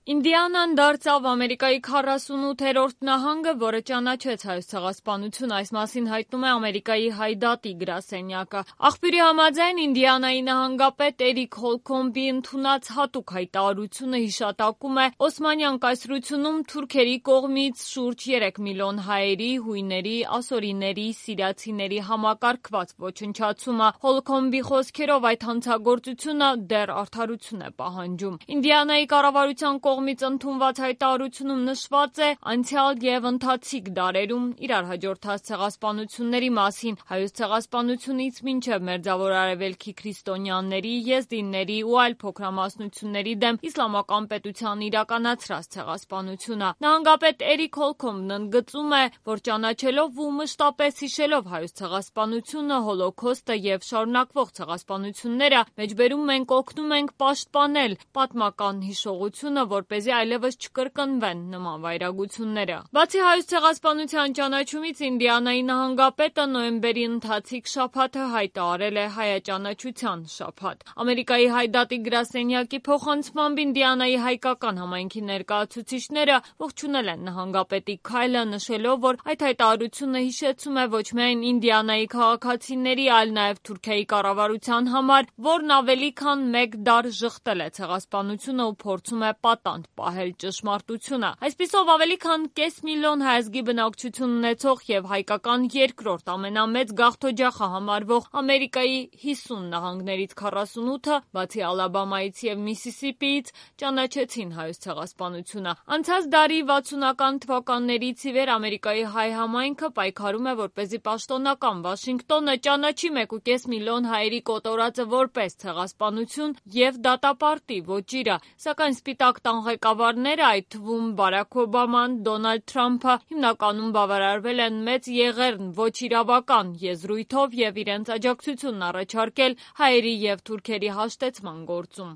Ինդիանան դարձավ Ամերիկայի 48-րդ նահանգը, որը ճանաչեց Հայոց ցեղասպանությունը, այս մասին հայտնում է Ամերիկայի Հայդատի գրասենյակը։ Աղբյուրի համաձայն Ինդիանայի նահանգապետ Էրիկ Հոլքոմբի ընդունած հատուկ հայտարարությունը հիշատակում է Օսմանյան կայսրությունում թուրքերի կողմից շուրջ 3 միլիոն հայերի, հույների, ասորիների, սիրիացիների համակարգված ոչնչացումը։ Հոլքոմբի խոսքերով այդ հանցագործությունը դեռ արդարություն է պահանջում։ Ինդիանայի կառավարության կողմից ընդունված հայտարարությունում նշված է անցյալ և ընթացիկ դարերում իրար հաջորդած ցեղասպանությունների մասին, հայոց ցեղասպանությունից մինչև Մերձավոր Արևելքի քրիստոնյաների, եզդիների ու այլ փոքրամասնությունների դեմ իսլամական պետության իրականացրած ցեղասպանությունը։ Նահանգապետ Էրիկ Հոլքոմբն ընդգծում է, որ ճանաչելով ու մշտապես հիշելով հայոց ցեղասպանությունը, հոլոքոստը և շարունակվող ցեղասպանությունները, մեջբերում մենք օգնում ենք պաշտպանել պատմական հիշողությունը, որպեսզի այլևս չկրկնվեն նման վայրագությունները։ Բացի հայոց ցեղասպանության ճանաչումից, Ինդիանայի նահանգապետը նոյեմբերի ընթացիկ շաբաթը հայտարարել է հայաճանաչության շաբաթ։ Ամերիկայի Հայդատի գրասենյակի փոխանցմամբ Ինդիանայի հայկական համայնքի ներկայացուցիչները ողջունել են նահանգապետի քայլը, նշելով, որ այդ հայտարարությունը հիշեցում է ոչ միայն Ինդիանայի քաղաքացիների, այլ նաև Թուրքիայի կառավարության համար, որն ավելի քան մեկ դար ժխտել է ցեղասպանությունը ու փորձում է պատանդ պահել ճշմարտությունը։ Այսպիսով, ավելի քան կես միլիոն հայազգի բնակչություն ունեցող և հայկական երկրորդ ամենամեծ գաղթօջախը համարվող Ամերիկայի 50 նահանգներից 48-ը, բացի Ալաբամայից և Միսիսիպիից, ճանաչեցին հայոց ցեղասպանությունը։ Անցած դարի 60-ական թվականներից ի վեր Ամերիկայի հայ համայնքը պայքարում է, որպեսզի պաշտոնական Վաշինգտոնը ճանաչի 1,5 միլիոն հայերի կոտորածը որպես ցեղասպանություն և դատապարտի ոճիրը, սակայն Սպիտակ տան ղեկավարները, այդ թվում Բարաք Օբաման, Դոնալդ Թրամփը, հիմնականում բավարարվել են մեծ եղեռն ոչ իրավական եզրույթով և իրենց աջակցությունն առաջարկել հայերի և թուրքերի հաշտեցման գործում։